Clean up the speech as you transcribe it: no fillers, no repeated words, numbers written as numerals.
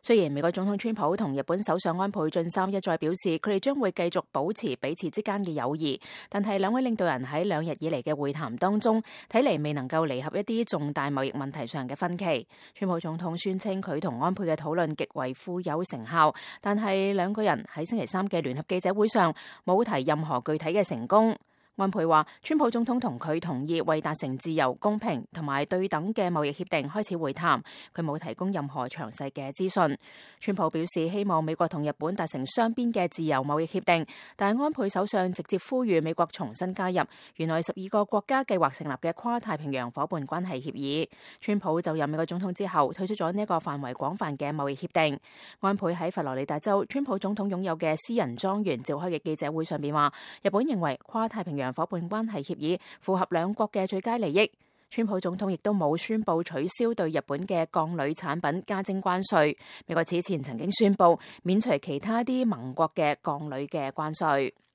雖然美國總統川普同日本首相安倍晉三一再表示，佢哋將會繼續保持彼此之間嘅友誼，但係兩位領導人喺2日以嚟嘅會談當中，睇嚟未能夠彌合一啲重大貿易問題上嘅分歧。川普總統宣稱佢同安倍嘅討論極為富有成效，但係兩個人喺星期三嘅聯合記者會上冇提任何具體嘅成功。安倍話，川普總統同佢同意為達成自由、公平同埋對等嘅貿易協定開始會談，佢冇提供任何詳細嘅資訊。川普表示希望美國同日本達成雙邊嘅自由貿易協定，但係安倍首相直接呼籲美國重新加入原來12個國家計劃成立嘅跨太平洋夥伴關係協議。川普就任美國總統之後退出咗呢一個範圍廣泛嘅貿易協定。安倍喺佛羅里達州川普總統擁有嘅私人莊園召開嘅記者會上邊話，日本認為跨太平洋夥伴關係協議符合兩國嘅最佳利益。川普總統亦都冇宣布取消對日本嘅鋼鋁產品加徵關稅。美國此前曾經宣布免除其他啲盟國嘅鋼鋁嘅關稅。